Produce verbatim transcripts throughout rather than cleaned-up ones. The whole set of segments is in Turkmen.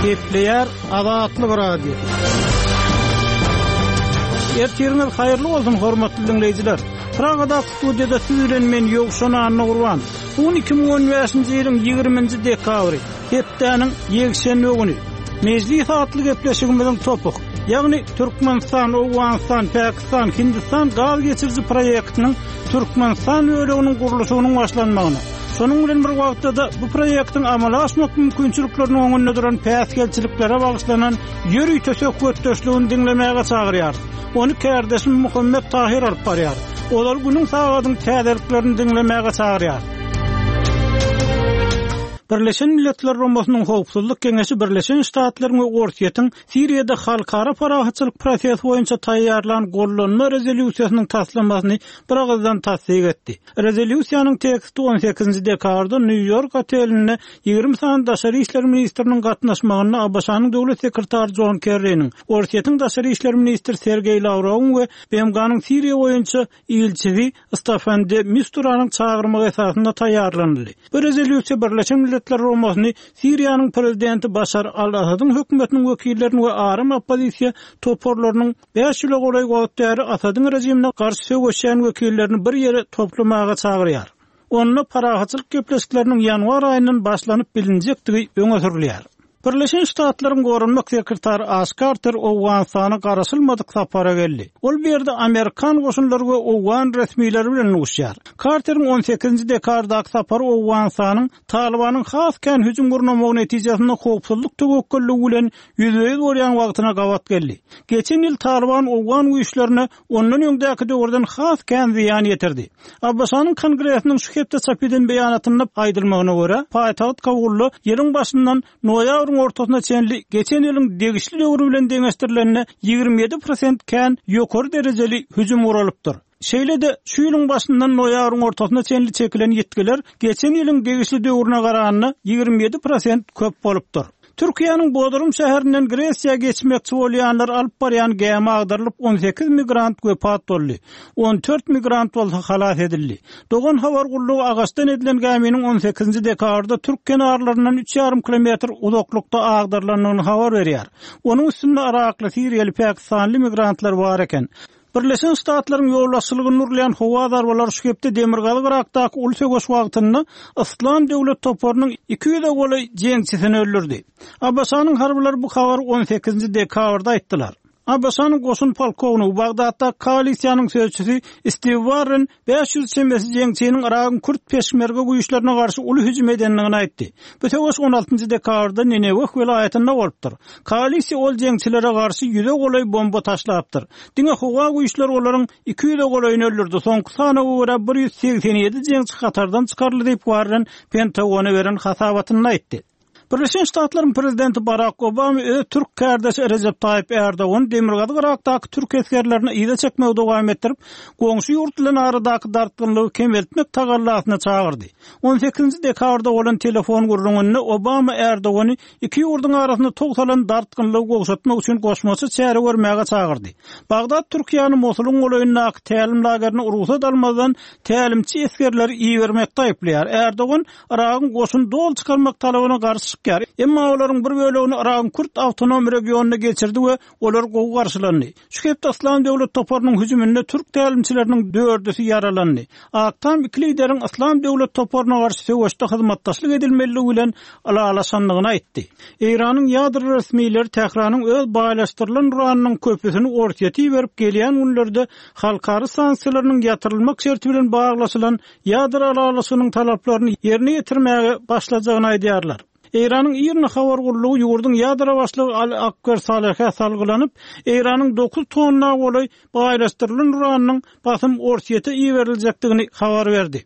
Gepleýär Azatlyk Radiosy. Ertiriňiz haýyrly bolsun, hormatly diňleýjiler. Pragadaky studiýada siz bilen men Ýowşan Annagurban. Bu gün iki müň on bäşinji ýylyň ýigriminji dekabry, hepdäniň ýekşenbe güni. Mejlis atly gepleşigimiziň topuk, ýagny Türkmenistan, Owganystan, Pakistan, Hindistan gaz geçiriji proýektiniň Türkmenistan böleginiň gurluşygynyň başlanmagyna, şonuň bilen bir wagtda-da bu proýektiň amala aşmak mümkinçilikleriniň öňünde duran päsgelçiliklere bagyşlanan ýörite söhbetdeşligini diňlemäge çagyrýarys. Ony kärdeşim Muhammet Tahir alyp barýar. Olar günüň sagadyň täzeliklerini diňlemäge çagyrýar. Birleşen Milletler Guramasynyň Howpsuzlyk Geňeşi Birleşen Ştatlaryň we Orsýetiň Siriýada halkara parahatçylyk prosesi boýunça taýýarlan gollanma rezolýusiýasynyň taslamasyny bir agyzdan tassyk etdi. Rezolýusiýanyň teksti on sekizinji dekabrda Nýu-Ýork otelinde ýigrimi sany daşary işler ministriniň gatnaşmagynda A B Ş-nyň döwlet sekretary Jon Kerriniň, Orsýetiň daşary işler ministri Sergeý Lawrowyň we B M G-nyň Siriýa boýunça ilçisi Staffan de Misturanyň çagyrmagy esasynda taýýarlanyldy. Bu rezolýusiýa Birleşen Milletler Guramasyny Siriýanyň prezidenti Başar al-Asadyň hökümetiniň wekillerini we aram oppozisiýa toparlarynyň bäş ýyla golaý wagt bäri Asadyň režimine garşy söweşýän wekillerini bir ýere toplamaga çagyrýar. Onda parahatçylyk gepleşikleriniň ýanwar aýyndan başlanyp bilinjekdigi öňe sürülýär. Birleşen Ştatlaryň goranmak sekretary Aş Karter Owganystana garaşylmadyk sapara geldi. Ol bu ýerde Amerikan goşunlary we Owgan resmileri bilen duşýar. Karteriň on sekizinji dekabrdaky sapary Owganystanyň Talibanyň has kän hüjüm gurnamagy netijesinde howpsuzlyk töwekgelligi bilen ýüzbe-ýüz bolýan wagtyna gabat geldi. Geçen ýyl Taliban Owgan güýçlerine ondan öňdäki döwürden has kän zyýan ýetirdi. A B Ş-nyň Kongresiniň şu hepde çap eden beýanatynda aýdylmagyna görä, paýtagt Kabulda ýylyň başyndan noýabryň ortasyna çenli geçen ýylyň degişli döwri bilen deňeşdirilende ýigrimi ýedi prosent kän ýokary derejeli hüjüm guralypdyr. Şeýle-de şu ýylyň başyndan noýabryň ortasyna çenli çekilen ýitgiler geçen ýylyň degişli döwrüne garanda ýigrimi ýedi prosent köp bolupdyr. Türkiýäniň Bodrum şäherinden Gresiýa geçmekçi bolýanlar alyp barýan gämi agdarylyp on sekiz migrant wepat boldy. on dört migrant bolsa halas edildi. Dogan habar gullugy agaçdan edilen gäminiň on sekizinji dekabrda Türk kenarlaryndan üç ýarym kilometr uzaklykda agdarylandygyny habar berýär. Onuň üstünde Irakly, Siriýaly, Pakistanly migrantlar bar eken. Birleşen Ştatlaryň ýolbaşçylygynda urulýan howa zarbalary şu hepde Demirgazyk Irakdaky uly söweş wagtynda Yslam döwlet toparynyň iki ýüze golaý jeňçisini öldürdi. A B Ş-nyň harbylary bu habary on sekizinji dekabrda aýtdylar. A B Ş-nyň goşun polkownigi Bagdatda koalisiýanyň sözçüsi Steve Warren bäş ýüz çemesi jeňçiniň Iragyň Kürt peşmerge güýçlerine garşy uly hüjüm edendigini aýtdy. Bu söweş on altynjy dekabrda Nineweh welaýatynda bolupdyr. Koalisiýa ol jeňçilere garşy ýüze golaý bomba taşlapdyr. Diňe howa güýçleri olaryň iki ýüze golaýyny öldürdi. Soňky sanawa görä bir ýüz segsen ýedi jeňçi hatardan çykaryldy diýip Warren Pentagona beren hasabatynda aýtdy. Birleşen Ştatlaryň prezidenti Barack Obama öz Türk kardeşi Recep Tayyip Erdogan Demirgazyk Irakdaky Türk esgerlerini yza çekmegi dowam etdirip, goňşy ýurt bilen aradaky dartgynlygy kemeltmek tagallasyna çagyrdy. on sekizinji dekabrda bolan telefon gürrüňinde Obama Erdogany iki ýurduň arasynda togsalan dartgynlygy gowşatmak üçin goşmaça çäre görmäge çagyrdy. Bagdat Türkiýäniň Mosulyň golaýyndaky tälim lagerine rugsat almazdan tälimçi esgerleri ibermekde aýyplaýar. Erdogan Iragyň goşun doly çykarmak talabyna garşy çykýar. Emma olaryň bir bölegini Iragyň Kürt awtonom regionyna geçirdi we olar gowy garşylandy. Şu hepde Yslam döwlet toparynyň hüjüminde Türk tälimçileriniň dördüsi ýaralandy. Ak Tam iki lideriň Yslam döwlet toparyna garşy söweşde hyzmatdaşlyk edilmeligi bilen ylalaşandygyny aýtdy. Eýranyň ýadro resmileri Tähranyň öz baýlaşdyrylan uranynyň köpüsini Orsýete berip gelýän günlerde halkara sanksiýalarynyň ýatyrylmak şerti bilen baglaşylan ýadro ylalaşygynyň talaplaryny ýerine ýetirmäge başlajagyny aýdýarlar. Eýranyň IRNA habar gullugy ýurduň ýadro başlygy Ali Akbar Salehä salgylanyp, Eýranyň dokuz tonna golaý baýlaşdyrylan uranynyň basym Orsýete iberiljekdigini habar berdi.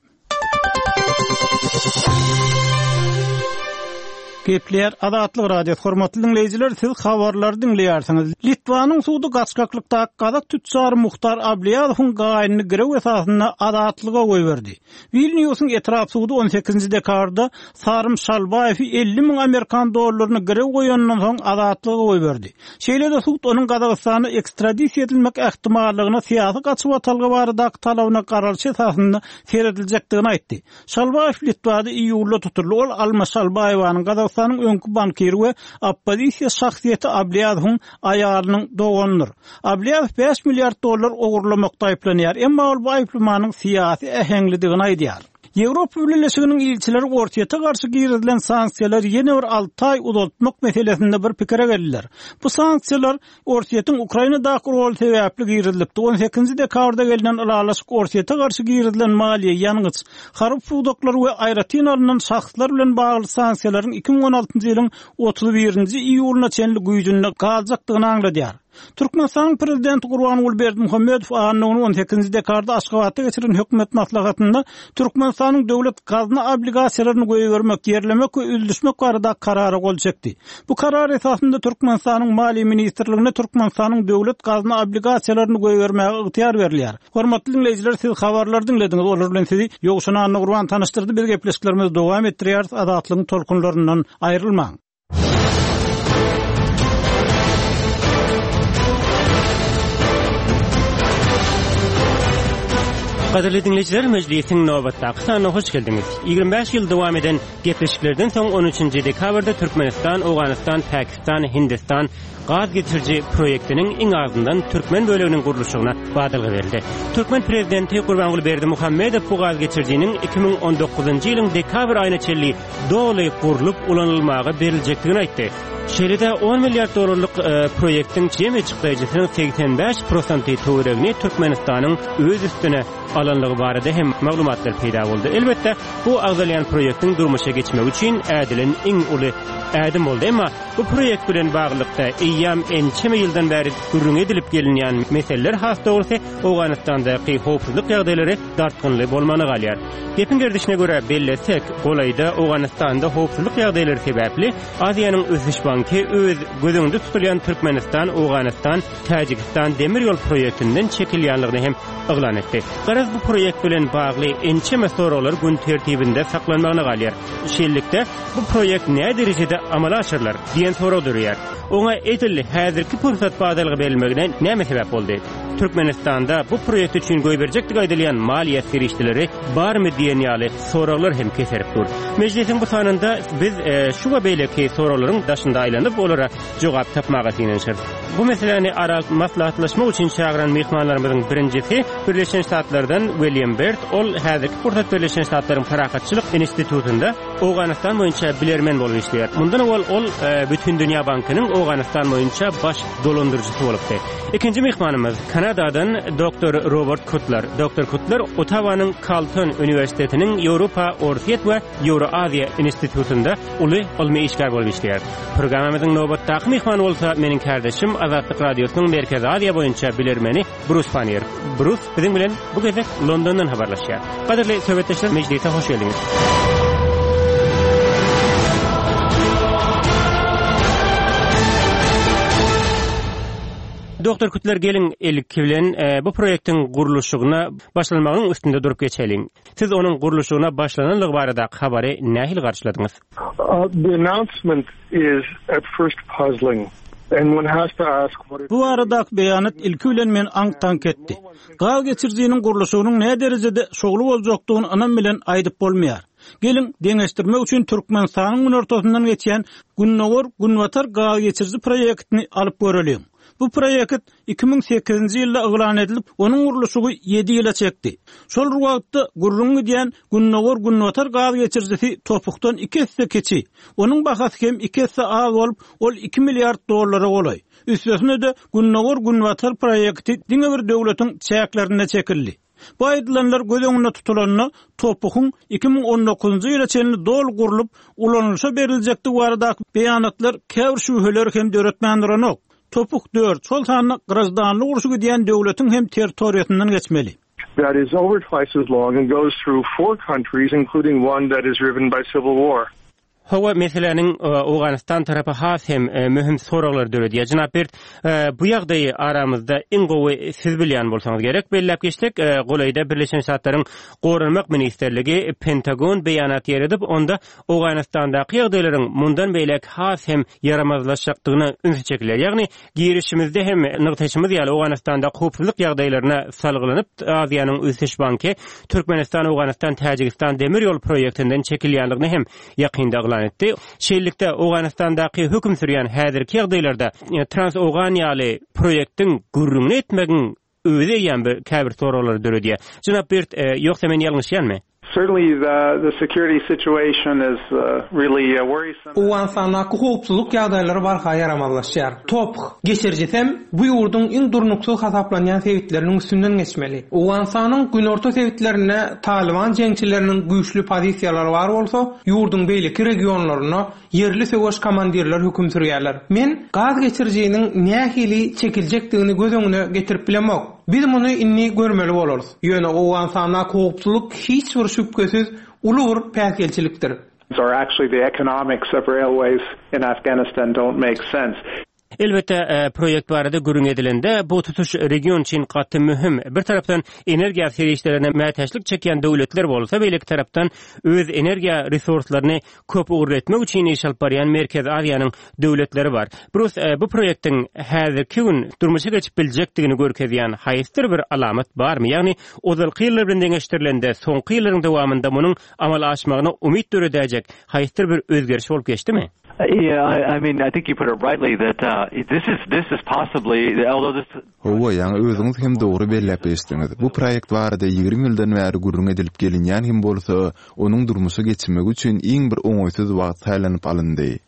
Gepler Azatlyk Radiosy hormatly dinleýjiler, siz habarlary diňleýärsiňiz. Litwanyň sudy gaçgaklykda gazak tütjar Muhtar Abliýazowyň gaýynyny girew esasynda azatlyga goýberdi. Vilniusyň etrap sudy on sekizinji dekabrda Sarym Şalbaýewi elli müň amerikan dollaryny girew goýandan soň azatlyga goýberdi. Şeýle-de sud onuň Gazagystana ekstradisiýa edilmek ähtimallygyna syýasy gaçybatalga baradaky talabyna garalyş esasynda serediljekdigini aýtdy. Şalbaýew Litwada iýulda tutuldy. Ol Alma Şalbaýewanyň Gazagystanyň Gazagystanyň öňki bankiri we oppozisiýa şahsyýeti Ablýazowyň aýalynyň doganydyr. Ablýazow bäş milliard dollar ogurlamakda aýyplanýar, emma ol bu aýyplamanyň syýasy äheňlidigini aýdýar. Ýewropa Bileleşiginiň ilçileri Orsýete garşy girizilen sanksiýalary ýene bir alty aý uzaltmak meselesinde bir pikire geldiler. Bu sanksiýalar Orsýetiň Ukrainadaky roly sebäpli girizilipdi. On sekizinji dekabrda gelnen ylalaşyk Orsýete garşy girizilen maliýe, ýangyç, harby pudaklar we aýratyn alnan şahslar bilen bagly sanksiýalaryň iki müň on altynjy ýylyň otuz birinji iýulyna çenli güýjünde galjakdygyny aňladýar. Türkmenistanyň Prezidenti Gurbanguly Berdimuhamedow anna güni on sekizinji dekabrda Aşgabatda geçirilen hökümet maslahatynda Türkmenistanyň döwlet gazna obligasiýalaryny goýbermek, ýerlemek we üzlüşmek barada karara gol çekdi. Bu karar esasynda Türkmenistanyň Maliýe ministrligine Türkmenistanyň döwlet gazna obligasiýalaryny goýbermäge ygtyýar berilýär. Hormatly diňleýjiler, siz habarlary diňlediňiz. Olar bilen sizi Ýowşan Annagurban tanyşdyrdy. Biz gepleşiklerimizi dowam etdirýäris. Azatlygyň tolkunlaryndan aýrylmaň. Gadyrly diňleýjiler, mejlisiň nobatdaky sanyna hoş geldiňiz. Ýigrimi bäş ýyl dowam eden gepleşiklerden soň on üçünji dekabrda Türkmenistan, Owganystan, Pakistan, Hindistan gaz geçiriji proýektiniň iň azyndan türkmen böleginiň gurluşygyna badalga berildi. Türkmen prezidenti Gurbanguly Berdimuhamedow bu gaz geçirijiniň iki müň on dokuzynjy ýylyň dekabr aýyna çenli doly gurlup ulanylmaga beriljekdigini aýtdy. Şeýle-de on milliard dollarlyk, e, proýektiň jemi çykdajysynyň segsen bäş prosenti töweregini Türkmenistanyň öz üstüne alanlygy barada hem maglumatlar peýda boldy. Elbetde, bu agzalýan proýektiň durmuşa geçmegi üçin ädilen iň uly ädim boldy. Emma bu proýekt bilen baglylykda eýýäm ençeme ýyldan bäri gürrüň edilip gelinýän meseleler, has dogrusy Owganystandaky howpsuzlyk ýagdaýlary dartgynly bolmany galýar. Gepiň gerdişine görä bellesek, golaýda Owganystanda howpsuzlyk ýagdaýlary sebäpli Aziýanyň Ösüş Banky öz göz öňünde tutulýan Türkmenistan, Owganystan, Täjigistan demir ýol proýektinden çekilýänligini hem yglan etdi. Garaz, bu proýekt bilen bagly ençeme soraglar gün tertibinde saklanmagyna galýar. Şeýlelikde, bu proýekt näme derejede amala aşyrylar diýen sorag döreýär. Oňa edil häzirki pursat badalga berilmegine näme sebäp boldy? Türkmenistanda bu proýekt üçin goýberjekdigi aýdylýan maliýe serişdeleri barmy diýen ýaly soraglar hem keserip dur. Mejlisiň bu sanynda biz, e, şu we beýleki soraglaryň daşynda aýlanyp, olara jogap tapmaga synanyşarys. Bu meseläni ara maslahatlaşmak üçin çagyran myhmanlarymyzyň birinjisi Birleşen Ştatlardan William Bert. Ol häzirki pursat Birleşen Ştatlaryň Parahatçylyk Institutynda Owganystan boýunça bilermen bolup işleýär. Mundan owal ol, e, Bütindünýä Bankynyň Owganystan boýunça baş dolandyryjysy bolupdy. Ikinji myhmanymyz Kanadadan doktor Robert Kutler. Doktor Kutler Ottawanyň Carleton Uniwersitetiniň Ýewropa, Orsýet we Ýewroaziýa Institutynda uly ylmy işgär bolup işleýär. Programmamyzyň nobatdaky myhmany bolsa meniň kardeşim Azatlyk Radiosynyň Merkezi Aziýa boýunça bilermeni Brus Pannier. Brus biziň bilen bu gezek Londondan habarlaşýar. Gadyrly söhbetdeşler, mejlise hoş geldiňiz. Doktor Kutler, gelin ilki bilen, e, bu proýektiň gurluşygyna başlanmagyň üstünde durup geçeliň. Siz onuň gurluşygyna başlananlygy barada habary nähili garşyladyňyz? Uh, the announcement is at first puzzling. And one has to ask what it Bu barada beýanat ilki bilen men aň-taňk etdi. Gaz geçirijiniň gurluşygynyň näme derejede şowly boljakdygyny ynam bilen aýdyp bolmaýar. Gelin deňeşdirmek üçin Türkmenistanyň günortasyndan geçýän Gündogar-Günbatar gaz geçiriji proýektini alyp göreliň. Bu proýekt iki müň sekizinji ýylda yglan edilip, onuň gurluşygy ýedi ýyla çekdi. Şol wagtda gürrüň gidýän Gündogar-Günbatar gaz geçirijisi topukdan iki esse kiçi. Onuň bahasy hem iki esse az bolup, ol iki milliard dollara golaý. Üstesine de Gündogar-Günbatar proýekti diňe bir döwletiň çäklerinde çekildi. Bu aýdylanlar göz öňünde tutulanda topugyň iki müň on dokuzynjy ýyla çenli doly gurlup, ulanylyşa beriljekdigi baradaky beýanatlar käbir şübheleri hem döretmän duranok. Topuk dört, şol sanda grajdanlyk urşy gidýän döwletiň hem territoriýasyndan geçmeli. That is over twice as long and goes through four countries, including one that is riven by civil war. Hawa meseläniň, e, Owganystan tarapy has hem, e, möhüm soraglar döredýär. Jenap Bert, e, bu ýagdaýy aramyzda iň gowy siz bilýän bolsaňyz gerek. Belläp geçsek, e, golaýda Birleşen Ştatlaryň Goranmak Ministrligi Pentagon beýanat ýeredip, onda Owganystandaky ýagdaýlaryň mundan beýläk has hem ýaramazlaşjakdygyna ünsi çekiler. Ýagny girişimizde hem nygtaýşymyz ýaly Owganystanda howpsuzlyk ýagdaýlaryna salgylanyp, Aziýanyň Ösüş Banky Türkmenistan, Owganystan, Täjigistan demir ýol proýektinden çekilýänligini hem ýakynda yglan yglan etdi. Şeýlelikde, Owganystandaky höküm sürýän häzirki ýagdaýlarda Trans-Owgan ýaly proýektiň gürrüňini etmegiň özi eýýäm bir käbir soraglary döredýär. Jenap Birt, ýogsa men ýalňyşýanmy? Certainly the the security situation is really worrisome. Owganystandaky howpsuzlyk ýagdaýlary barha ýaramazlaşýar. TOPH geçirijisem bu ýurduň iň durnuksyz hasaplanýan sebitleriniň üstünden geçmeli. Owganystanyň günorta sebitlerinde Talyban jeňçileriniň güýçli pozisiýalary bar bolsa, ýurduň beýleki regionlarynda ýerli söweş komandirleri höküm sürýärler. Men gaz geçirijiniň nähili çekiljekdigini göz öňüne getirip bilemok. Biz muny indi görmeli bolarys. Ýöne Owganystandaky howpsuzlyk hiç bir şübhesiz uly bir päsgelçilikdir. Or actually the economics of railways in Afghanistan don't make sense. Elbetde, proýekt barada gürrüň edilende, bu tutuş region üçin gaty möhüm. Bir tarapdan energiýa serişdelerine mätäçlik çekýän döwletler bolsa, beýleki tarapdan öz energiýa resurslaryny köp ugurly etmek üçin iş alyp barýan Merkezi Aziýanyň döwletleri bar. Brus, bu proýektiň häzirki gün durmuşa geçip biljekdigini görkezýän haýsydyr bir alamat barmy? Ýagny ozalky ýyllar bilen deňeşdirilende, soňky ýyllaryň dowamynda munuň amala aşmagyna umyt döredäýjek haýsydyr bir özgeriş bolup geçdimi? Yeah, I, I mean, I think you put it rightly that uh, this is this is possibly, although this Hawa, ýaňy özüňiz hem dogry belläp geçdiňiz. Bu proýekt barada ýigrimi ýyldan bäri gürrüň edilip gelinýän hem bolsa, onuň durmuşa geçmegi üçin iň bir oňaýsyz wagt saýlanyp alyndy.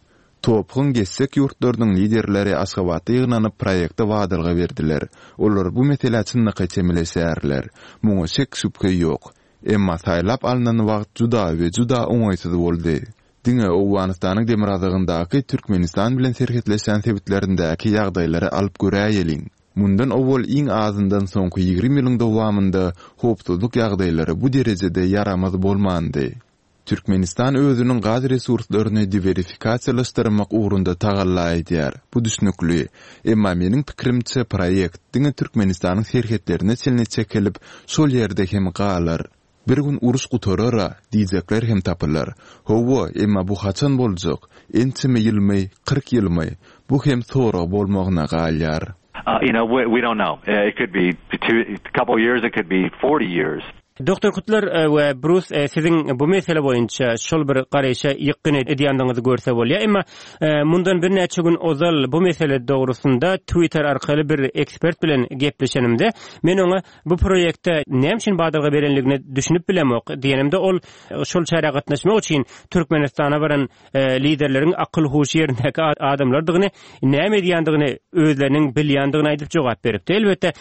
TOPH-yň geçjek ýurtlarynyň liderleri Aşgabatda ýygnanyp proýekte badalga berdiler. Olar bu meselä çynlakaý çemeleşýärler. Muňa şek-şübhe ýok. Emma saýlap alnan wagt juda we juda oňaýsyz boldy. Diňe Owganystanyň demirgazygyndaky Türkmenistan bilen serhetleşýän sebitlerindäki ýagdaýlary alyp göräýeliň. Mundan owal iň azyndan soňky ýigrimi ýylyň dowamynda howpsuzlyk ýagdaýlary bu derejede ýaramaz bolmandy. Türkmenistan özüniň gaz resurslaryny diwersifikasiýalaşdyrmak ugrunda tagalla edýär. Bu düşnükli. Emma meniň pikirimçe proýekt diňe Türkmenistanyň serhetlerine çenli çekilip, şol ýerde hem galar. Bir gün uruş gutarar-a diýjekler hem tapylar. Hawa, emma bu haçan boljak? Ençeme ýylmy, kyrk ýylmy? Bu hem sorag bolmagyna galýar. Uh, you know, we, we don't know. Uh, it could be two, a couple years, it could be forty years. Doktor Kutlar we Brus, siziň bu mesele boýunça şol bir garaýşa ýykgyn edýändigiňizi görse bolýar. Emma mundan birnäçe gün ozal bu mesele dogrusynda Twitter arkaly bir ekspert bilen gepleşenimde, men oňa bu proýekte näme üçin badalga berenligine düşünip bilemok diýenimde, ol şol çärä gatnaşmak üçin Türkmenistana baran liderleriň akyl huşy ýerindäki adamlardygyny, näme edýändigini özleriniň bilýändigini aýdyp jogap beripdi. Elbetde,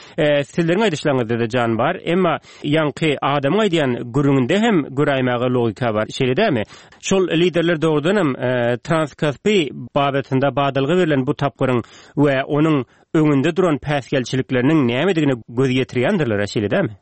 sizleriň aýdyşlaryňyzda jan bar, emma ýaňky adamyň aýdýan gürrüňinde hem göräýmäge logika bar. Şeýle dälmi? Şol liderler dogrudan hem Transkaspi babatynda badalga berlen bu tapgyryň we onuň öňünde duran päsgelçilikleriniň nämedigine göz ýetirýändirler, şeýle dälmi?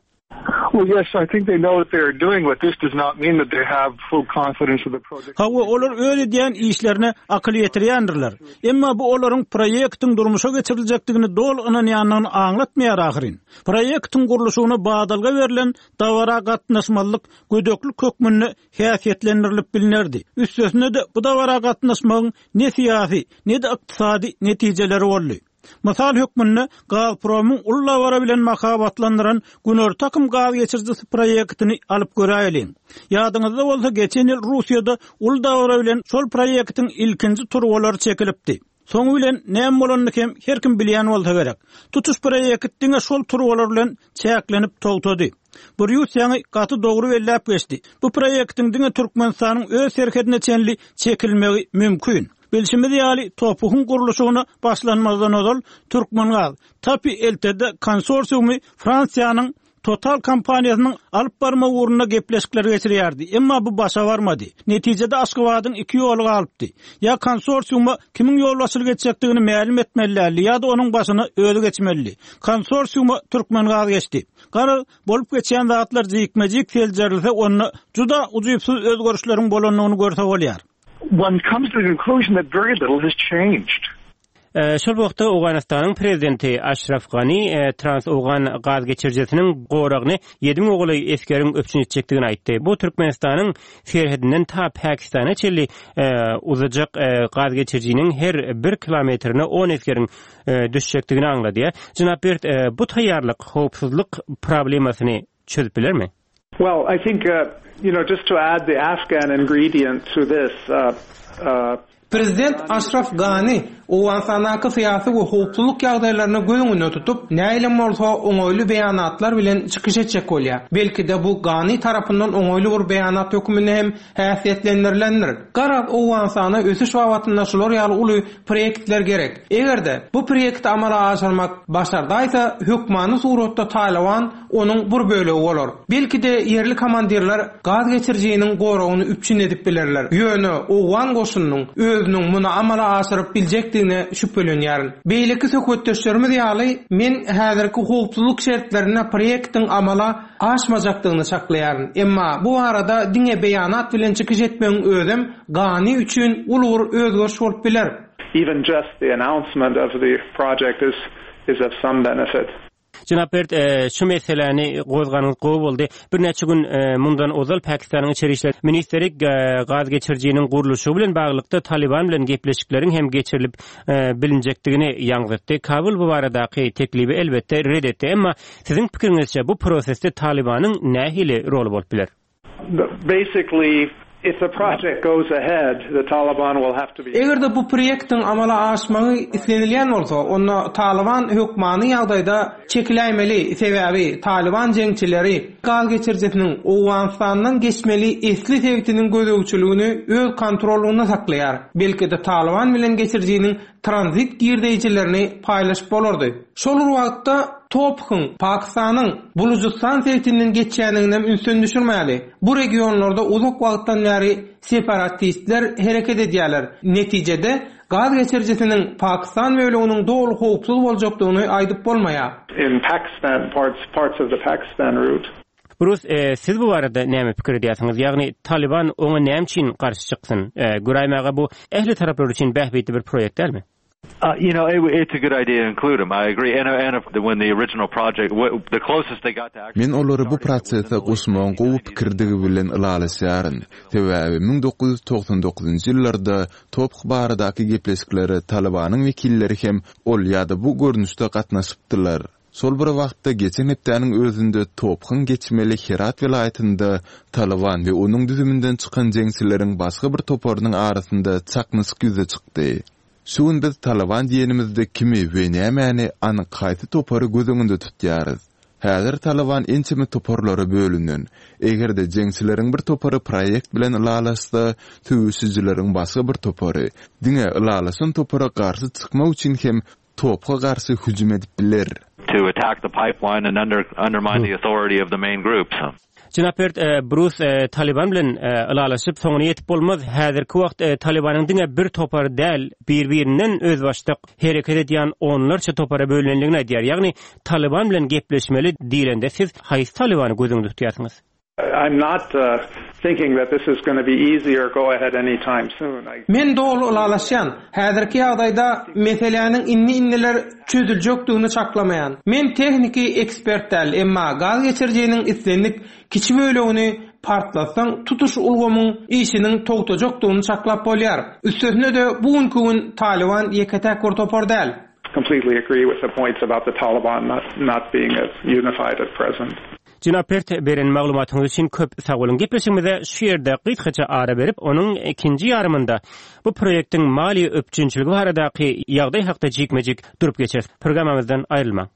Well, yes, I think they know what they are doing, but this does not mean that they have full confidence of the project. Hawa, olar öz edýän işlerine akyl ýetirýändirler. Emma bu olaryň proýektiň durmuşa geçiriljekdigini doly ynanýandygyny aňlatmaýar ahyryn. Proýektiň gurluşygyna badalga berlen dabara gatnaşmazlyk gödeklik hökmünde häsiýetlendirilip bilinerdi. Üstesine-de bu dabara gatnaşmagyň ne syýasy, ne-de ykdysady netijeleri boldy. Mysal hökmünde Gazpromyň uly dabara bilen mahabatlandyran Günorta akym gaz geçirijisi proýektini alyp göräýeliň. Ýadyňyzda bolsa geçen ýyl Russiýada uly dabara bilen şol proýektiň ilkinji turbalary çekilipdi. Soňy bilen näme bolanyny hem her kim bilýän bolsa gerek. Tutuş proýekt diňe şol turbalar bilen çäklenip togtady. Brýus ýaňy gaty dogry belläp geçdi. Bu proýektiň diňe Türkmenistanyň öz serhedine çenli çekilmegi mümkin. Bilşimiz ýaly, TOPH-yň gurluşygyna başlanmazdan ozal Türkmengaz TAPI L T D konsorsiumy Fransiýanyň Total kompaniýasynyň alyp barma ugrunda gepleşikler geçirýärdi. Emma bu başa barmady. Netijede Aşgabadyň iki ýoly galypdy. Ýa konsorsiuma kimiň ýolbaşçylyk etjekdigini mälim etmelilerdi, ýa-da onuň başyna özi geçmelidi. Konsorsiuma Türkmengaz geçdi. Garaz, bolup geçýän zatlar jikme-jik seljerilse, onda juda ujypsyz özgerişleriň bolandygyny görse bolýar. One comes to the conclusion that very little has changed. Şol wagtda Owganystanyň prezidenti Aşraf Gani Trans-Owgan gaz geçirijisiniň goragyny ýedi müň golaý esgeriň üpjün etjekdigini aýtdy. Bu Türkmenistanyň serhedinden ta Pakistana çenli uzajak gaz geçirijiniň her bir kilometrine on esgeriň düşjekdigini aňladýar. Jenap Bert, bu taýýarlyk howpsuzlyk problemasyny çözüp bilermi? Well, I think, uh, you know, just to add the Afghan ingredient to this, uh, uh, Prezident Aşraf Gani Owganystandaky syýasy we howpsuzlyk ýagdaýlaryny göz öňünde tutup, nähilem bolsa oňaýly beýanatlar bilen çykyş etjek bolýar. Belki-de bu Gani tarapyndan oňaýly bir beýanat hökmünde hem häsiýetlendirilendir. Garaz Owganystana ösüş babatynda şular ýaly uly proýektler gerek. Eger-de bu proýekti amala aşyrmak başardaýsa, hökmany suratda Talyban onuň bir bölegi bolar. Belki-de ýerli komandirler gaz geçirijiniň goragyny üpjün edip bilerler. Ýöne Owgan goşunynyň özüniň muny amala aşyryp biljekdigine şübhelenýärin. Beýleki söhbetdeşlerimiz ýaly, men häzirki howpsuzlyk şertlerinde proýektiň amala aşmajakdygyny çaklaýaryn. Emma bu barada diňe beýanat bilen çykyş etmegiň özem Gani üçin uly bir özgeriş bolup biler. Even just the announcement of the project is is of some benefit. Jenap Bert, şu meseläni gozganyňyz gowy boldy. Birnäçe gün mundan ozal Pakistanyň içeri işler ministri gaz geçirijiniň gurluşygy bilen baglylykda Talyban bilen gepleşikleriň hem geçirilip bilinjekdigini ýaňzytdy. Kabul bu baradaky teklibi elbetde red etdi. Emma siziň pikiriňizçe bu prosesde Talybanyň nähili roly bolup biler? Basically, if the project goes ahead, the Taliban will have to be Eger-de bu proýektiň amala aşmagy islenilýän bolsa, onda Talyban hökmany ýagdaýda çekiläýmeli, sebäbi Talyban jeňçileri gaz geçirijisiniň Owganystandan geçmeli esli sebitiniň gözegçiligini öz kontrollygynda saklaýar. Belki-de Talyban bilen geçirijiniň tranzit girdeýjilerini paýlaşyp bolardy. Şol bir wagtda TOPH-yň Pakistanyň Bulujystan sebitinden geçýändigini ünsden düşürmäli. Bu regionlarda uzak wagtdan bäri separatistler hereket edýärler. Netijede gaz geçirijisiniň Pakistan böleginiň doly howpsuz boljakdygyny aýdyp bolmaýar. In Pakistan parts parts of the Pakistan route. Brus, e, siz bu barada näme pikir edýärsiňiz? Ýagny Taliban oňa näme üçin garşy çyksyn? E, göräýmäge bu ähli taraplar üçin bähbitli bir proýekt dälmi? Uh, you know, it, it's a good idea to include them. I agree. And, and if, when the original project, the closest they got to actually... Men olary bu prosese goşmagyň gowy pikirdigi bilen ylalaşýaryn. Sebäbi müň dokuz ýüz togsan dokuzynjy ýyllarda TOPH baradaky gepleşiklere Talybanyň wekilleri hem ol ýa-da bu görnüşde gatnaşypdylar. Şol bir wagtda geçen hepdäniň özünde TOPH-yň geçmeli Herat welaýatynda Talyban we onuň düzüminden çykan jeňçileriň başga bir toparynyň arasynda çaknyşyk ýüze çykdy. Şu gün biz Talyban diýenimizde kimi we nämäni anyk haýsy topary göz öňünde tutýarys. Häzir Talyban ençeme toparlara bölünen. Eger-de jeňçileriň bir topary proýekt bilen ylalaşsa, söweşijileriň başga bir topary diňe ylalaşan topara garşy çykmak üçin hem TOPH-a garşy hüjüm edip biler. To attack the pipeline and under, undermine the authority of the main groups. Jenap Bert, Brus Taliban bilen ylalaşyp soňuna ýetip bolmaz. Häzirki wagt Talibanyň diňe bir topary däl, bir-birinden özbaşdak hereket edýän onlarça topara bölünenligini aýdýar. Ýagny Taliban bilen gepleşmeli diýlende siz haýsy Talibany göz öňünde tutýarsyňyz? I'm not uh, thinking that this is going to be easy or go ahead anytime soon. I... Men doly ylalaşýan. Häzirki ýagdaýda meseläniň indi-indiler çözüljekdigini çaklamaýan. Men tehniki ekspert däl, emma gaz geçirijiniň islendik kiçi bölegini partlatsaň, tutuş ulgamyň işiniň togtajakdygyny çaklap bolýar. Üstesine-de bu günki gün Talyban ýeke-täk bir topar däl. Completely agree with the points about the Taliban not not being as unified at present. Jenap Bert, beren maglumatyňyz üçin köp sag boluň. Gepleşigimize şu ýerde gysgaça ara berip, onuň ikinji ýarymynda bu proýektiň maliýe üpjünçiligi baradaky ýagdaý hakda jikme-jik durup geçeris. Programmamyzdan aýrylmaň.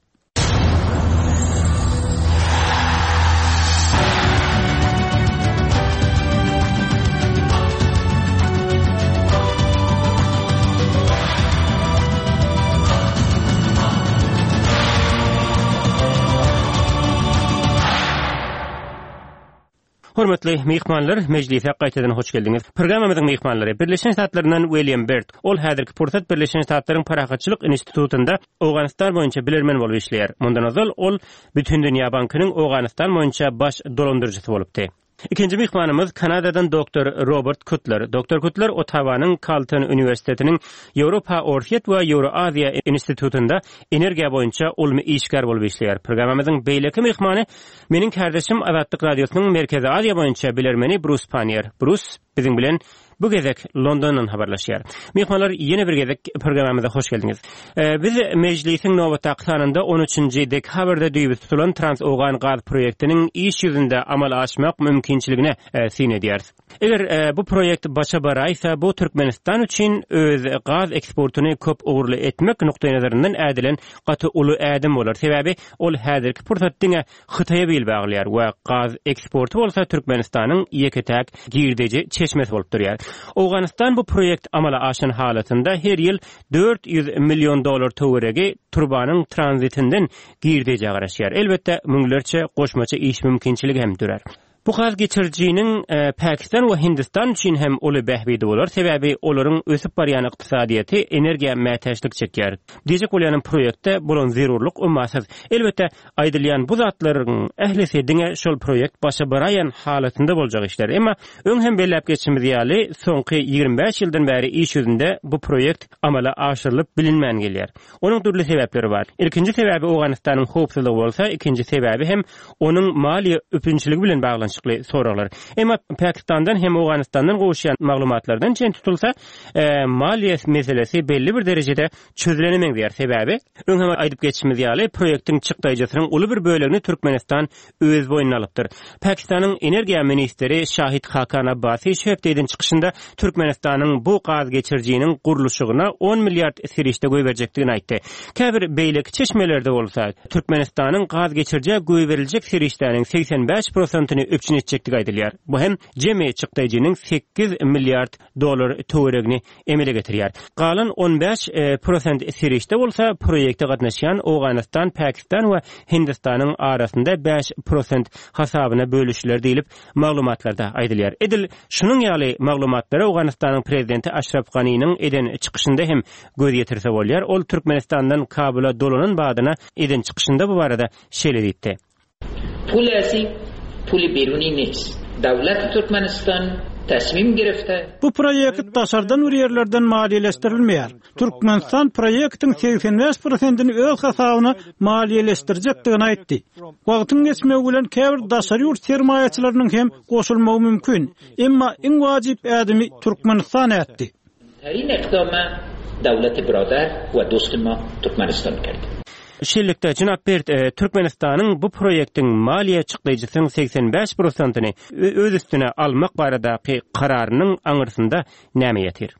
Hormatly myhmanlar, mejlise gaýtadan hoş geldiňiz. Programmamyzyň myhmanlary Birleşen Ştatlaryndan William Bert. Ol häzirki pursat Birleşen Ştatlaryň Parahatçylyk institutynda Owganystan boýunça bilermen bolup işleýär. Mundan ozal ol Bütindünýä bankynyň Owganystan boýunça baş dolandyryjysy bolupdy. Ikinji myhmanymyz Kanadadan doktor Robert Kutler. Doktor Kutler Ottawanyň Carleton Uniwersitetiniň Ýewropa Orsýet we Ýewroaziýa institutynda energiýa boýunça ylmy işgär bolup işleýär. Programmamyzyň beýleki myhmany meniň kardeşim Azatlyk Radiosynyň Merkezi Aziýa boýunça bilermeni Brus Panier. Brus biziň bilen Bu gezek Londondan habarlaşýar. Myhmanlar ýene bir gezek programmamyza hoş geldiňiz. Biz mejlisiň nobatdaky sanynda on üçünji dekabrda düýbi tutulan Trans-Owgan gaz proýektiniň iş ýüzünde amala aşmak mümkinçiligine syn edýäris. Eger bu proýekt başa baraýsa, bu Türkmenistan üçin öz gaz eksportyny köp ugurly etmek nukdaýnazaryndan ädilen gaty uly ädim bolar. Sebäbi ol häzirki pursat diňe Hytaýa bil baglaýar we gaz eksporty bolsa Türkmenistanyň ýeke-täk girdeji çeşmesi bolup durýar. Owganystan bu proýekt amala aşan halatynda her ýyl dört ýüz million dollar töweregi turbanyň tranzitinden girdeji garaşýar. Elbetde müňlerçe goşmaça iş mümkinçiligi hem dörer. Bu gaz geçirijiniň Pakistan we Hindistan üçin hem uly bähbidi bolar, sebäbi olaryň ösüp barýan ykdysadyýeti energiýa mätäçlik çekýär. Diýjek bolýanym proýektde bolan zerurlyk ummasyz. Elbetde aýdylýan bu zatlaryň ählisi diňe şol proýekt başa baraýan halatynda boljak işler. Emma öň hem belläp geçimiz ýaly, soňky ýigrimi bäş ýyldan bäri iş ýüzünde bu proýekt amala aşyrylyp bilinmän gelýär. Onuň dürli sebäpleri bar. Ilkinji sebäbi Owganystanyň howpsuzlygy bolsa, ikinji sebäbi hem onuň maliýe üpjünçiligi bilen baglanyşykly soraglar. Emma Pakistandan hem Owganistandan gowuşýan maglumatlardan çen tutulsa, e, maliýe meselesi belli bir derejede çözülene meňzeýär. Sebäbi öň hem aýdyp geçişimiz ýaly, proýektiň çykdaýjysynyň uly bir bölegini Türkmenistan öz boýnuna alypdyr. Pakistanyň energiýa ministri Şahid Hakan Abbasi şu hepde eden çykyşynda Türkmenistanyň bu gaz geçirijiniň gurluşygyna on milliard serişde goýberjekdigini aýtdy. Käbir beýleki çeşmelerde bolsa Türkmenistanyň gaz geçirijä goýberiljek serişdäniň seksen bäş prosentini üpjün etjekdigi aýdylýar. Bu hem jemi çykdaýjynyň sekiz milliard dollar töweregini emele getirýär. Galan on bäş, e, prosent serişde bolsa proýekte gatnaşýan Owganystan, Pakistan we Hindistanyň arasynda bäş prosent hasabyna bölüşiler diýilip maglumatlarda aýdylýar. Edil şunuň ýaly maglumatlara Owganystanyň prezidenti Aşraf Ganiniň eden çykyşynda hem göz ýetirse bolýar. Ol Türkmenistandan Kabula dolanan badyna eden çykyşynda bu barada şeýle diýdi. Pul asi, pul beruni nest. Döwlet Türkmenistan tasmim girifte. Bu proýekt daşardan bir ýerlerden maliýeleşdirilmeýär. Türkmenistan proýektiň seksen bäş prosentini öz hasabyna maliýeleşdirjekdigini aýtdy. Wagtyň geçmegi bilen käbir daşary ýurt sermaýaçylarynyň hem goşulmagy mümkin. Emma iň wajyp ädimi Türkmenistan ätdi. Tarin iqdama döwlet birodar we dost ma Türkmenistan kerdi. Şeýlelikde, Jenap Bert, e, Türkmenistanyň bu proýektiň maliýe çykdaýjysynyň seksen bäş prosentini öz üstüne almak baradaky kararynyň aňyrsynda näme ýatyr?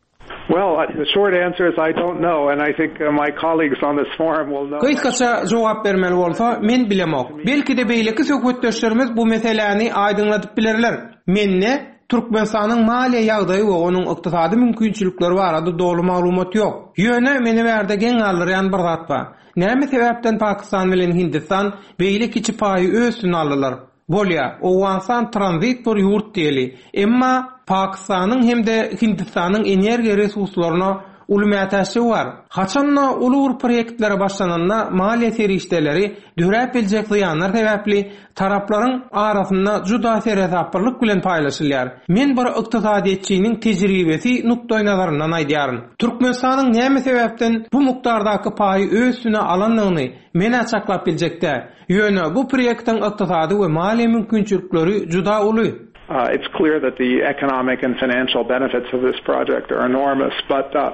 Well, the short answer is I don't know, and I think, uh, my colleagues on this forum will know. Gysgaça jogap bermeli bolsa, men bilemok. Belki de beýleki söhbetdeşlerimiz bu meseläni aýdyňladyp bilerler. Mende Türkmenistanyň maliýe ýagdaýy we onuň ykdysady mümkinçilikleri barada dogry maglumat ýok. Ýöne meni bärde geň galdyrýan bir zat bar. Näme sebäpden Pakistan bilen Hindistan beýle kiçi paýy öz üstüne aldylar? Bolýa, Owganystan tranzit bir ýurt diýeli. Emma Pakistanyň hem de Hindistanyň energiýa resurslaryna uly mätäçligi bar. Haçanda uly bir proýektlere başlananda maliýe serişdeleri döräp biljek zyýanlar sebäpli taraplaryň arasynda juda seresaplylyk bilen paýlaşylýar. Men bir ykdysadyýetçiniň tejribesi nukdaý nazaryndan aýdýaryn. Türkmenistanyň näme sebäpden bu mukdardaky paýy öz üstüne alandygyny men açyklap biljekde. Ýöne bu proýektiň ykdysady we maliýe mümkinçilikleri juda uly. Uh, it's clear that the economic and financial benefits of this project are enormous, but, uh,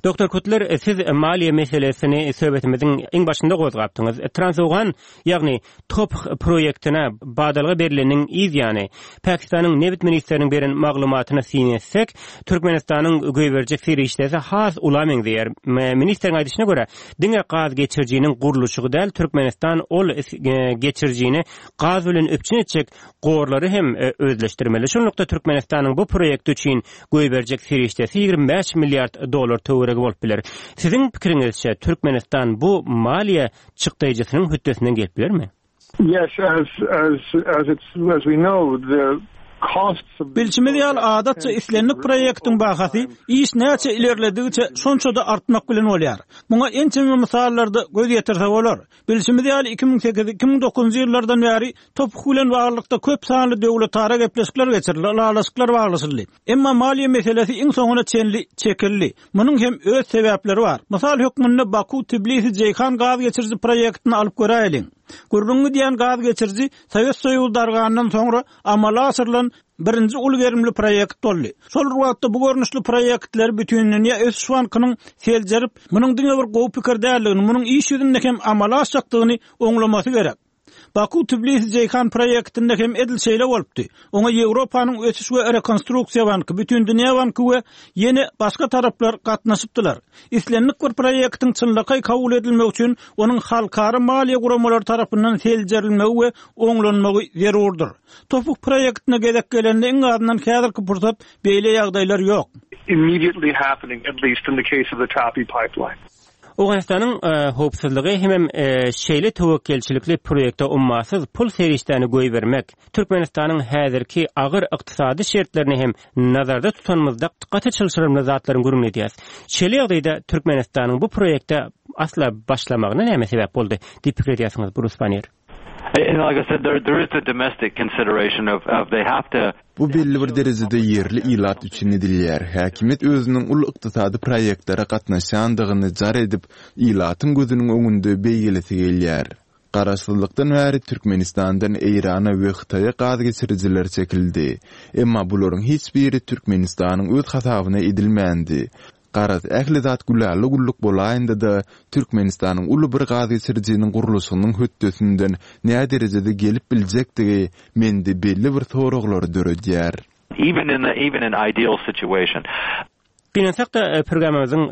Doktor Kutler, siz maliýe meselesini söhbetimiziň iň başynda gozgapdyňyz. Trans-Owgan, ýagny TOPH proýektine badalga berileniň yz ýany, Pakistanyň nebit ministriniň beren maglumatyna syn etsek, Türkmenistanyň goýberjek serişdesi has ula meňzeýär. Ministriň aýdyşyna görä, diňe gaz geçirijiniň gurluşygy däl, Türkmenistan ol, e, geçirijini gaz bilen üpjün etjek gorlary hem, e, özleşdirmeli. Şunlukda Türkmenistanyň bu proýekt üçin goýberjek serişdesi ýigrimi bäş milliard dollar töweregi bolup biler. Siziň pikiriňizçe Türkmenistan bu maliýe çykdaýjysynyň hötdesinden gelip bilermi? Yes, as, as, as it's, as we know, the costs of Bilşimiz ýaly adatça islendik proýektiň bahasy iş näçe ilerledigiçe şonça da artmak bilen bolýar. Muňa ençeme mysallarda göz ýetirse bolar. Bilşimiz ýaly iki müň sekiz, iki müň dokuzynjy ýyllardan bäri TOPH bilen baglylykda köp sanly döwletara gepleşikler geçirildi, ylalaşyklar baglaşyldy. Emma maliýe meselesi iň soňuna çenli çekildi. Munuň hem öz sebäpleri bar. Mysal hökmünde Baku Tbilisi Ceyhan gaz geçiriji proýektini alyp göräýeliň. Gürrüň gidýän gaz geçiriji Sowet Soýuzy dargandan soňra amala aşyrylan Birinji uly gerimli proýekt boldy. Şol bir wagtda bu görnüşli proýektler Bütindünýä ösüş bankynyň seljerip, munuň diňe bir gowy pikir däldigini, munuň iş ýüzünde hem amala aşjakdygyny oňlamasy gerek. Baku-Tbilisi-Jeýhan proýektinde hem edil şeýle bolupdy. Oňa Ýewropanyň ösüş we rekonstruksiýa banky, Bütindünýä banky we ýene başga taraplar gatnaşypdylar. Islendik bir proýektiň çynlakaý kabul edilmegi üçin onuň halkara maliýe guramalary tarapyndan seljerilmegi we oňlanmagy zerurdyr. TOPH proýektine gezek gelende iň azyndan häzirki pursat beýle ýagdaýlar ýok. Immediately happening, at least in the case of the TAPI pipeline. Owganystanyň howpsuzlygy hemem şeýle töwekgelçilikli proýekte ummasyz pul serişdäni goýbermek, Türkmenistanyň häzirki agyr ykdysady şertlerini hem nazarda tutanymyzda gaty çylşyrymly zatlaryň gürrüňini edýäris. Şeýle ýagdaýda Türkmenistanyň bu proýekte asla başlamagyna näme sebäp boldy diýip pikir edýärsiňiz, Brus Panniýer? And like I said, there, there is the domestic consideration of, of they have to Bu belli bir derejede ýerli ilat üçin edilýär. Häkimiýet özüniň uly ykdysady proýektlere gatnaşýandygyny jar edip, ilatyň gözüniň öňünde beýgelesi gelýär. Garaşsyzlykdan bäri Türkmenistandan Eýrana we Hytaýa gaz geçirijiler çekildi. Emma bularyň hiç biri Türkmenistanyň öz hasabyna edilmändi. Garaz ähli zat gülala-güllük bolaýanda-da Türkmenistanyň uly bir gaz geçirijiniň gurluşygynyň hötdesinden nä derejede gelip biljekdigi mende belli bir soraglary döredýär. Even in the, even in ideal situation. Gynansak-da programmamyzyň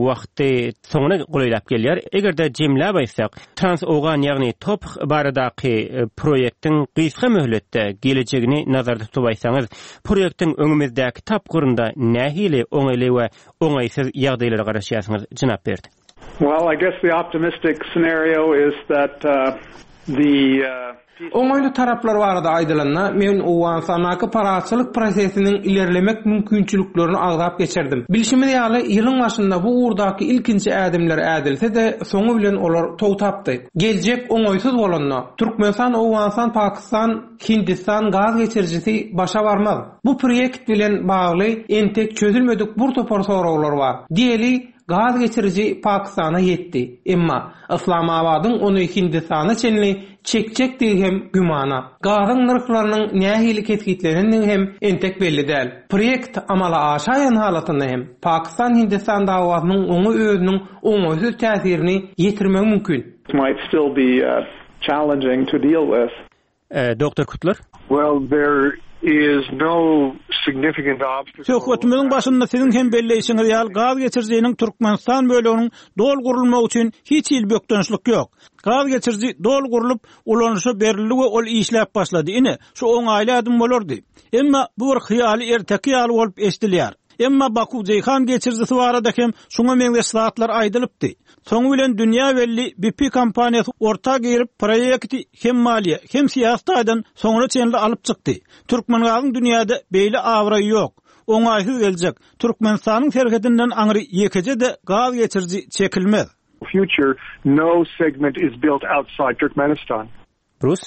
wagty soňuna golaýlap gelýär. Eger-de jemläp aýtsak, Trans-Owgan ýagny TOPH baradaky proýektiň gysga möhletde gelejegini nazarda tutup aýtsaňyz, proýektiň öňümizdäki tapgyrynda nähili oňaýly we oňaýsyz ýagdaýlara garaşýarsyňyz, jenap Berd? Well, I guess the optimistic scenario is that uh, the uh, Oňaýly taraplar barada aýdylanda, men Owganystandaky parahatçylyk prosesiniň ilerlemek mümkinçiliklerini agzap geçirdim. Bilşimiz ýaly, ýylyň başynda bu ugurdaky ilkinji ädimler ädilse-de, soňy bilen olar togtapdy. Geljek oňaýsyz bolanda, Türkmenistan, Owganystan, Pakistan, Hindistan gaz geçirijisi başa barmaz. Bu proýekt bilen bagly entek çözülmedik bir topar soraglar bar. Diýeli, gaz geçiriji Pakistana ýetdi. Emma Islamabadyň ony Hindistana çenli çekjekdigi hem gümana. Gazyň nyrhlarynyň nähili kesgitlenendigi hem entek belli däl. Proýekt amala aşaýan halatynda hem Pakistan-Hindistan dawasynyň oňa özüniň oňaýsyz täsirini ýetirmegi mümkin. might still be uh, challenging to deal with. Doktor Kutlar? Well, there is no significant obstacle. Söhbetimiziň başynda siziň hem belleýşiňiz ýaly gaz geçirijiniň Türkmenistan böleginiň doly gurulmagy üçin hiç hili bökdençlik ýok. Gaz geçiriji doly gurlup, ulanyşa berildi we ol işläp başlady. Ine, şu oňaýly adım bolardy. Emma bu bir hyýaly erteki ýaly bolup eşidilýär. Emma Baku Jeýhan geçirijisi barada hem şuňa meňzeş zatlar aýdylypdy. Soňy bilen dünýä belli B P kompaniýasy orta girip proýekti hem maliýe, hem syýasy taýdan soňuna çenli alyp çykdy. Türkmengazyň dünýäde beýle abraýy ýok. Oňaýsyz geljek. Türkmenistanyň serhedinden aňry ýekeje-de gaz geçiriji çekilmez. Future, no segment is built outside Turkmenistan. Bruce?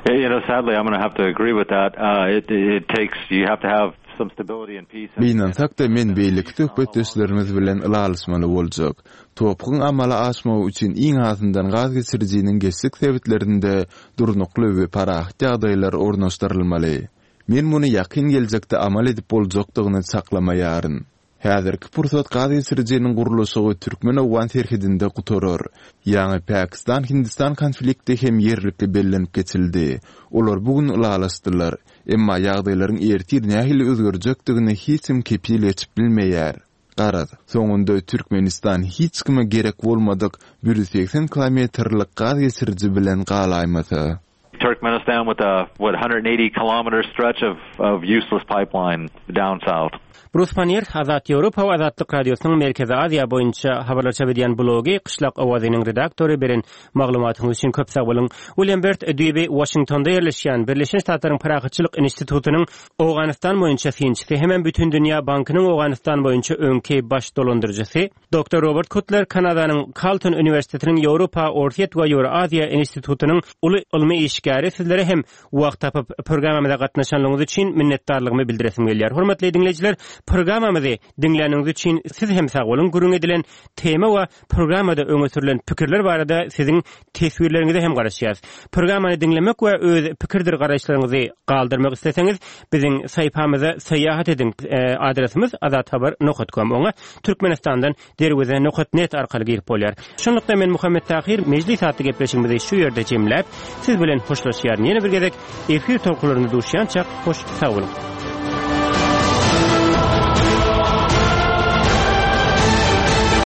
You know, sadly, I'm going to have to agree with that. Uh, it, it takes, you have to have some stability and peace. Gynansak-da men beýleki söhbetdeşlerimiz bilen ylalaşmaly boljak. TOPH-yň amala aşmagy üçin iň azyndan gaz geçirijiniň geçjek sebitlerinde durnukly we parahat ýagdaýlar ornaşdyrylmaly. Men muny ýakyn geljekde amal edip boljakdygyny çaklamaýaryn. Häzirki pursat gaz geçirijiniň gurluşygy Türkmen-Owgan serhedinde gutarar. Ýagny Pakistan-Hindistan konflikti hem ýerlikli bellenip geçildi. Olar bu gün ylalaşdylar. Emma ýagdaýlaryň ertir nähili özgerjekdigini hiç kim kepil geçip bilmeýär. Garaz, soňunda Türkmenistan hiç kime gerek bolmadyk bir ýüz segsen kilometrlik gaz geçiriji bilen galaýmasa. Turkmenistan with a what hundred eighty kilometer stretch of, of useless pipeline down south. Brus Panniýer, Azat Ýewropa we Azatlyk Radiosynyň Merkezi Aziýa boýunça habarlar çap edýän blogy Gyşlak owazynyň redaktory beren maglumatyňyz üçin köp sag boluň. William Bert düýbi Washingtonda ýerleşýän Birleşen Ştatlaryň Parahatçylyk institutynyň Owganystan boýunça synçysy hem Bütindünýä Bankynyň Owganystan boýunça öňki baş dolandyryjysy Doktor Robert Kutler Kanadanyň Carleton Uniwersitetiniň Ýewropa, Orsýet we Ýewroaziýa institutynyň uly ylmy işgäri işgäri. Sizlere hem wagt tapyp programmamyza gatnaşanlygyňyz üçin minnetdarlygymy bildiresim gelýär. Hormatly diňleýjiler, programmamyzy diňläniňiz üçin siz hem sag boluň. Gürrüň edilen tema we programmada öňe sürülen pikirler barada siziň teswirleriňize hem garaşýarys. Programmany diňlemek we öz pikirdir garaýyşlaryňyzy galdyrmak isleseňiz, biziň saýpamyza syýahat ediň. Adresimiz azathabar nokat com. Oňa Türkmenistandan derweze nokat net arkaly girip bolýar. Şunlukda men Muhammet Tahyr Mejlis atly gepleşigimizi şu ýerde jemläp, siz bilen hoşlaşýaryn. Ýene bir gezek efir tolkunlarynda duşýançak hoş sag boluň.